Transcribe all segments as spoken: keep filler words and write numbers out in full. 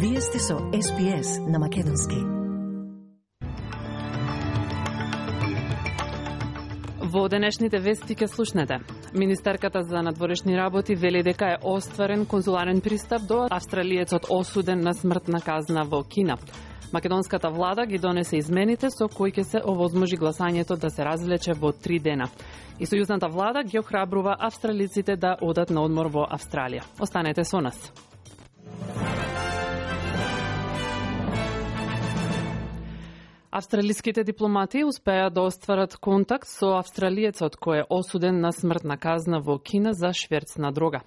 Вие сте со Ес Би Ес на Македонски. Во денешните вести ќе слушнете. Министерката за надворешни работи вели дека е остварен конзуларен пристап до австралиецот осуден на смртна казна во Кина. Македонската влада ги донесе измените со кои ќе се овозможи гласањето да се развлече во три дена. И сојузната влада ги охрабрува австралиците да одат на одмор во Австралија. Останете со нас. Австралиските дипломати успеа да остварат контакт со австралиецот кој е осуден на смртна казна во Кина за шверц на дрога.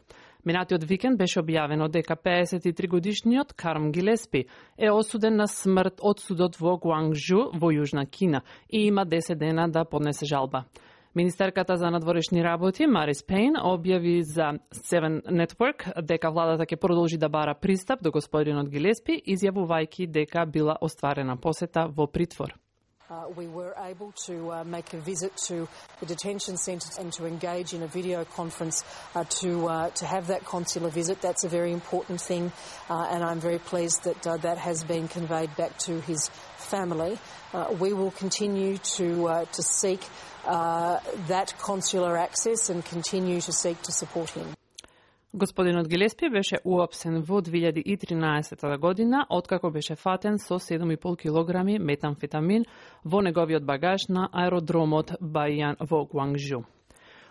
Минатиот викенд беше објавено дека пеесет и три годишниот Карм Гилеспи е осуден на смрт од судот во Гуанgjу во Јужна Кина и има десет дена да поднесе жалба. Министерката за надворешни работи Марис Пейн објави за Seven Network дека владата ќе продолжи да бара пристап до господинот Гилеспи, изјавувајќи дека била остварена посета во притвор. Uh, we were able to uh, make a visit to the detention centre and to engage in a video conference uh, to uh, to have that consular visit. That's a very important thing, uh, and I'm very pleased that uh, that has been conveyed back to his family. Uh, we will continue to uh, to seek uh, that consular access and continue to seek to support him. Господинот Гилеспи беше уапсен во две илјади и тринаесета година, откако беше фатен со седум и пол килограми метамфетамин во неговиот багаж на аеродромот Бајан во Гуанgjу.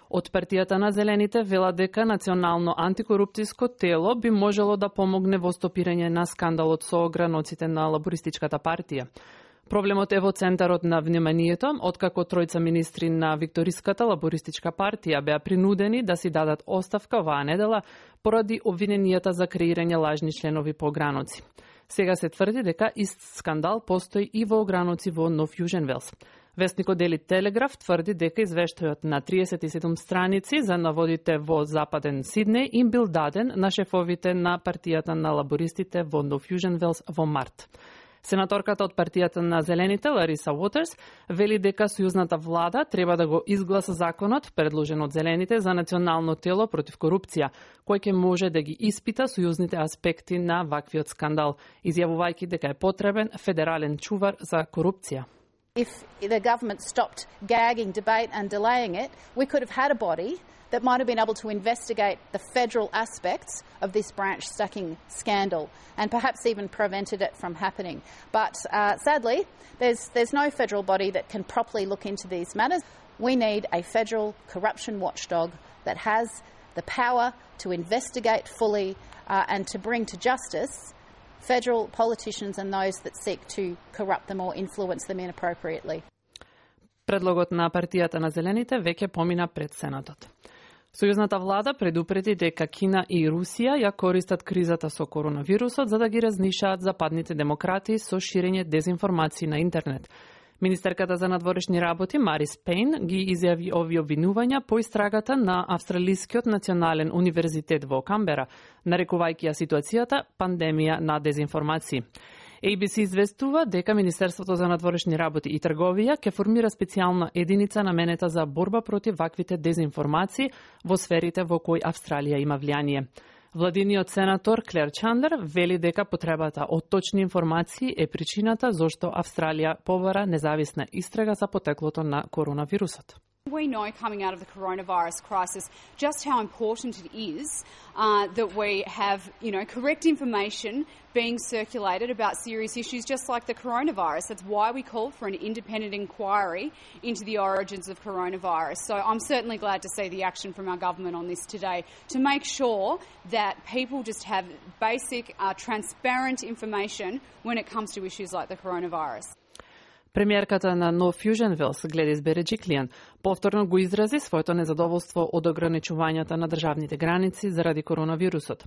Од партијата на Зелените вела дека национално антикорупцијско тело би можело да помогне во стопирање на скандалот со ограноците на лабористичката партија. Проблемот е во центарот на вниманието, откако тројца министри на Викториската лабористичка партија беа принудени да си дадат оставка оваа недела поради обвиненијата за креирање лажни членови по ограноци. Сега се тврди дека ист скандал постои и во ограноци во Нов Јужен Велс. Вестникот Дели Телеграф тврди дека извештајот на триесет и седум страници за наводите во Западен Сиднеј им бил даден на шефовите на партијата на лабористите во Нов Јужен Велс во март. Сенаторката од партијата на Зелените, Лариса Уотерс, вели дека сојузната влада треба да го изгласа законот, предложен од Зелените, за национално тело против корупција, кој ќе може да ги испита сојузните аспекти на ваквиот скандал, изјавувајќи дека е потребен федерален чувар за корупција. If the government stopped gagging debate and delaying it, we could have had a body that might have been able to investigate the federal aspects of this branch stacking scandal and perhaps even prevented it from happening. But uh, sadly, there's, there's no federal body that can properly look into these matters. We need a federal corruption watchdog that has the power to investigate fully uh, and to bring to justice federal politicians and those that seek to corrupt them or influence them inappropriately. Предлогот на партијата на Зелените веќе помина пред Сенатот. Сојузната влада предупреди дека Кина и Русија ја користат кризата со коронавирусот за да ги разнишаат западните демократи со ширење дезинформации на интернет. Министерката за надворешни работи Марис Пейн ги изјави овие обвинувања по истрагата на Австралискиот национален универзитет во Камбера, нарекувајќи ја ситуацијата пандемија на дезинформации. Ей Би Си известува дека Министерството за надворешни работи и трговија ќе формира специјална единица наменета за борба против ваквите дезинформации во сферите во кои Австралија има влијание. Владиниот сенатор Клер Чандлер вели дека потребата од точни информации е причината зошто Австралија побара независна истрага за потеклото на коронавирусот. We know coming out of the coronavirus crisis just how important it is uh, that we have, you know, correct information being circulated about serious issues just like the coronavirus. That's why we called for an independent inquiry into the origins of coronavirus. So I'm certainly glad to see the action from our government on this today to make sure that people just have basic, uh, transparent information when it comes to issues like the coronavirus. Премиерката на Нов Јужен Велс, Гледис Береджиклијан, повторно го изрази своето незадоволство од ограничувањата на државните граници заради коронавирусот.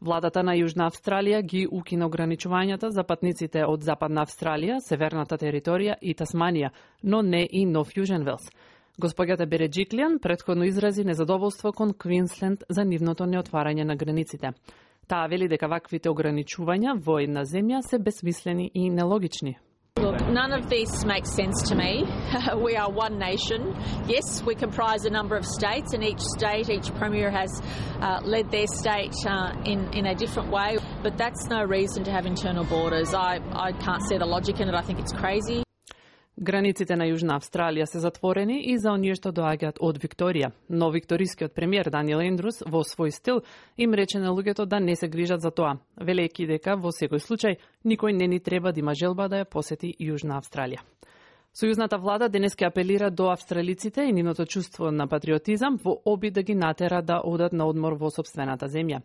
Владата на Јужна Австралија ги укина ограничувањата за патниците од Западна Австралија, Северната територија и Тасманија, но не и Нов Јужен Велс. Госпоѓата Береджиклијан претходно изрази незадоволство кон Квинсленд за нивното неотварање на границите. Таа вели дека ваквите ограничувања во една земја се бесмислени и нелогични. Look, none of this makes sense to me. We are one nation. Yes, we comprise a number of states, and each state, each premier has uh, led their state uh, in, in a different way. But that's no reason to have internal borders. I, I can't see the logic in it. I think it's crazy. Границите на Јужна Австралија се затворени и за оние што доаѓаат од Викторија, но викторискиот премиер Даниел Ендрус во свој стил им рече на луѓето да не се грижат за тоа, велејќи дека во секој случај никој не ни треба да има желба да ја посети Јужна Австралија. Сојузната влада денес ке апелира до австралиците и нивното чувство на патриотизам во обид да ги натера да одат на одмор во сопствената земја.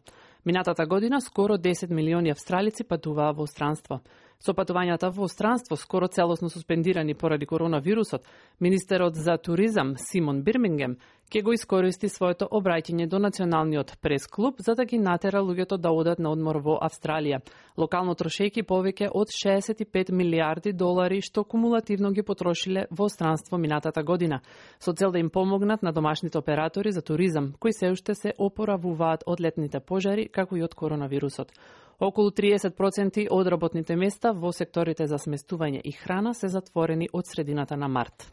Минатата година скоро десет милиони австралици патуваа во странство. Со патувањата во странство скоро целосно суспендирани поради коронавирусот, министерот за туризам Симон Бирмингем ќе го искористи своето обраќање до националниот прес-клуб за да ги натера луѓето да одат на одмор во Австралија, локално трошејќи повеќе од шеесет и пет милиарди долари што кумулативно ги потрошиле во странство минатата година, со цел да им помогнат на домашните оператори за туризам, кои се уште се опоравуваат од летните пожари, како и од коронавирусот. Околу триесет проценти од работните места во секторите за сместување и храна се затворени од средината на март.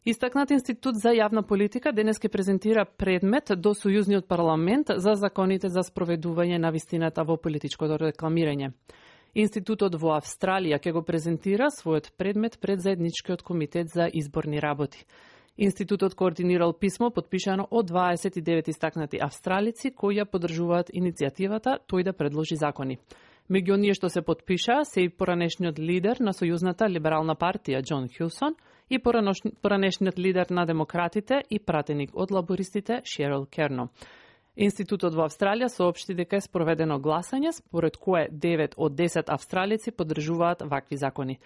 Истакнат Институт за јавна политика денес ке презентира предмет до Сојузниот парламент за законите за спроведување на вистината во политичкото рекламирање. Институтот во Австралија ќе го презентира својот предмет пред заедничкиот комитет за изборни работи. Институтот координирал писмо подпишано од дваесет и девет истакнати австралици кои ја поддржуваат иницијативата тој да предложи закони. Меѓу оние што се подпишаа се и поранешниот лидер на Сојузната либерална партија Џон Хилсон и поранешниот лидер на демократите и пратеник од лабористите Шерил Керно. Институтот во Австралија соопшти дека е спроведено гласање според кое девет од десет австралици поддржуваат вакви закони.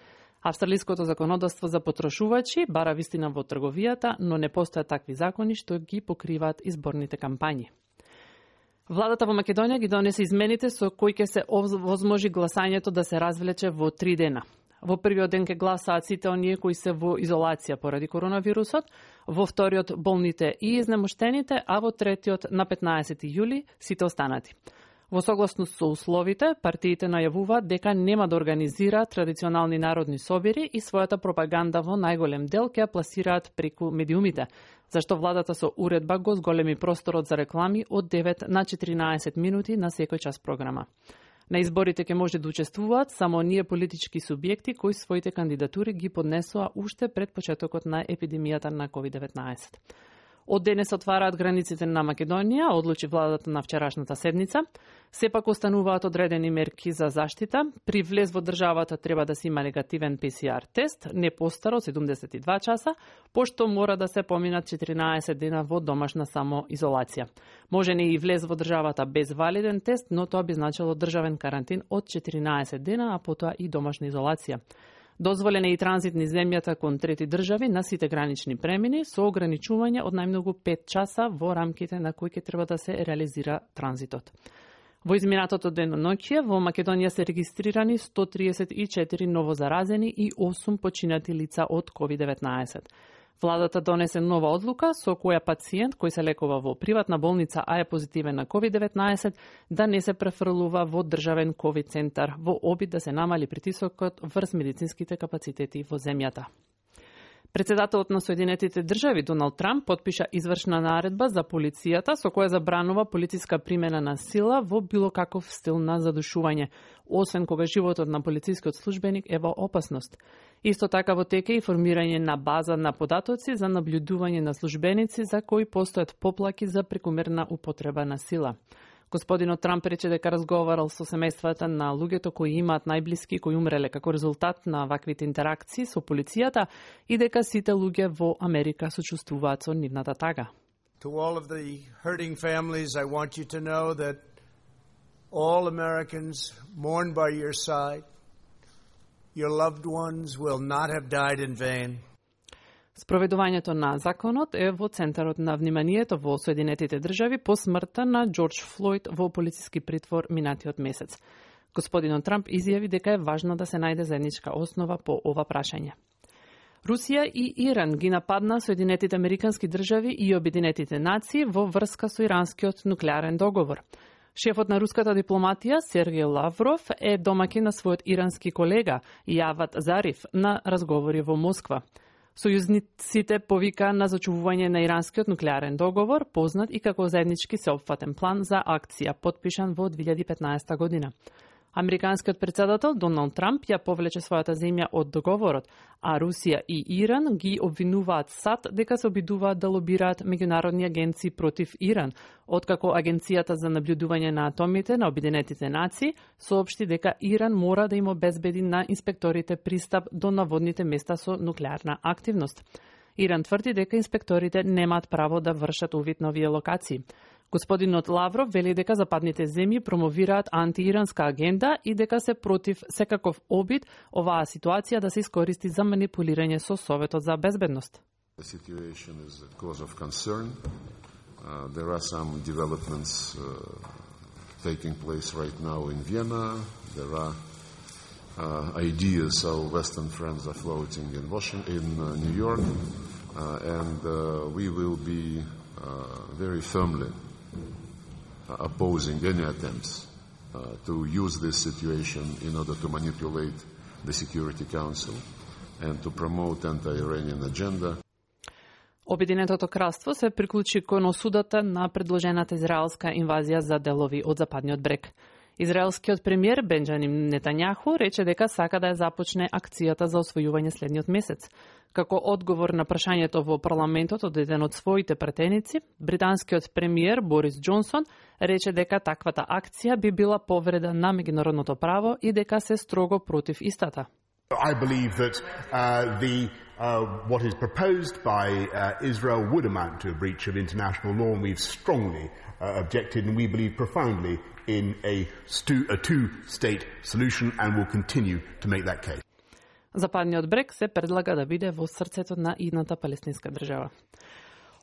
Австралиското законодавство за потрошувачи бара вистина во трговијата, но не постојат такви закони што ги покриваат изборните кампањи. Владата во Македонија ги донесе измените со кои ќе се овозможи гласањето да се развлече во три дена. Во првиот ден ќе гласаат сите оние кои се во изолација поради коронавирусот, во вториот болните и изнемоштените, а во третиот на петнаесети јули сите останати. Во согласност со условите, партиите најавуваат дека нема да организираат традиционални народни собири и својата пропаганда во најголем дел ќе ја пласираат преку медиумите, зашто владата со уредба го зголеми просторот за реклами од девет на четиринаесет минути на секој час програма. На изборите ќе може да учествуваат само оние политички субјекти кои своите кандидатури ги поднесоа уште пред почетокот на епидемијата на ковид деветнаесет. Од денес отвараат границите на Македонија, одлучи владата на вчерашната седница. Сепак остануваат одредени мерки за заштита. При влез во државата треба да се има негативен Пе Си Ар тест, не постар од седумдесет и два часа, пошто мора да се поминат четиринаесет дена во домашна самоизолација. Може не и влез во државата без валиден тест, но тоа би значило државен карантин од четиринаесет дена, а потоа и домашна изолација. Дозволен е и транзит низ земјата кон трети држави на сите гранични премини со ограничување од најмногу пет часа во рамките на кои ќе треба да се реализира транзитот. Во изминатото деноноќие во Македонија се регистрирани сто триесет и четири новозаразени и осум починати лица од ковид деветнаесет. Владата донесе нова одлука со која пациент кој се лекува во приватна болница, а е позитивен на ковид деветнаесет, да не се префрлува во државен ковид центар во обид да се намали притисокот врз медицинските капацитети во земјата. Председателот на Соединетите држави Доналд Трамп потпиша извршна наредба за полицијата со која забранува полициска примена на сила во било каков стил на задушување, освен кога животот на полицискиот службеник е во опасност. Исто така во тек е и формирање на база на податоци за наблюдување на службеници за кои постојат поплаки за прекумерна употреба на сила. Господинот Трамп рече дека разговарал со семејствата на луѓето кои имаат најблиски кои умреле како резултат на ваквите интеракции со полицијата и дека сите луѓе во Америка сочувствуваат со нивната тага. To all of the hurting families, I want you to know that all Americans mourn by your side. Your loved ones will not have died in vain. Спроведувањето на законот е во центарот на вниманието во Соединетите држави по смртта на Џорџ Флојд во полициски притвор минатиот месец. Господинот Трамп изјави дека е важно да се најде заедничка основа по ова прашање. Русија и Иран ги нападна Соединетите американски држави и Обединетите нации во врска со иранскиот нуклеарен договор. Шефот на руската дипломатија Сергеј Лавров е домаќин на својот ирански колега Јавад Зариф на разговори во Москва. Сојузниците повика на зачувување на иранскиот нуклеарен договор, познат и како заеднички сеопфатен план за акција, потпишан во две илјади и петнаесета година. Американскиот председател Доналд Трамп ја повлече својата земја од договорот, а Русија и Иран ги обвинуваат САД дека се обидуваат да лобираат меѓународни агенции против Иран, откако Агенцијата за наблюдување на атомите на Обединетите нации соопшти дека Иран мора да им обезбеди на инспекторите пристап до наводните места со нуклеарна активност. Иран тврди дека инспекторите немаат право да вршат увид на овие локации. Господинот Лавров вели дека западните земји промовираат антииранска агенда и дека се против секаков обид оваа ситуација да се искористи за манипулирање со Советот за безбедност. Uh, there are some developments uh, taking place right now in Vienna. There are uh, ideas our Western friends are floating in Washington, in uh, New York, uh, and uh, we will be uh, very firmly uh, opposing any attempts uh, to use this situation in order to manipulate the Security Council and to promote anti-Iranian agenda. Обединетото кралство се приклучи кон осудата на предложената израелска инвазија за делови од западниот брег. Израелскиот премиер Бенџамин Нетањаху рече дека сака да ја започне акцијата за освојување следниот месец. Како одговор на прашањето во парламентот од еден од своите претеници, британскиот премиер Борис Џонсон рече дека таквата акција би била повреда на меѓународното право и дека се строго против истата. I believe that uh, the uh, what is proposed by uh, Israel would amount to a breach of international law, and we've strongly uh, objected, and we believe profoundly in a, stu- a two-state solution, and will continue to make that case. Западниот брег се предлага да биде во срцето на идната палестинска држава.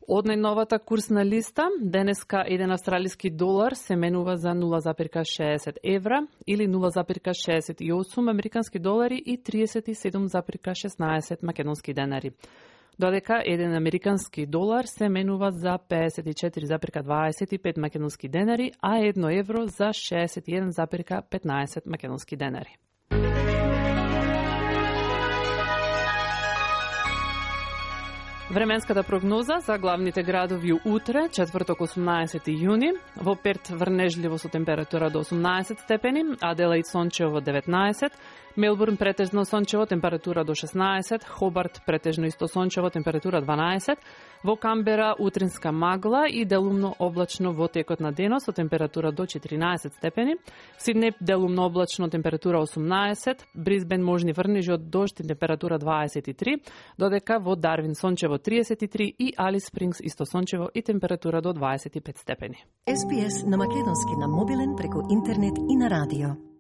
Од најновата курсна листа, денеска еден австралиски долар се менува за нула зарез шеесет евра или нула зарез шеесет и осум американски долари и триесет и седум зарез шеснаесет македонски денари. Додека еден американски долар се менува за пеесет и четири зарез дваесет и пет македонски денари, а едно евро за шеесет и еден зарез петнаесет македонски денари. Временската прогноза за главните градови утре, четврток осумнаесети јуни, во Перт врнежливо со температура до осумнаесет степени, Аделаид сончево деветнаесет, Мелбурн претежно сончево температура до шеснаесет, Хобарт претежно исто сончево температура дванаесет, во Камбера утринска магла и делумно облачно во текот на денот со температура до четиринаесет степени, Сиднеј делумно облачно температура осумнаесет, Брисбен можни врнежи од дожд и температура дваесет и три, додека во Дарвин сончево триесет и три и Алис Спрингс исто сончево и температура до дваесет и пет степени. Ес Би Ес на македонски на мобилен преку интернет и на радио.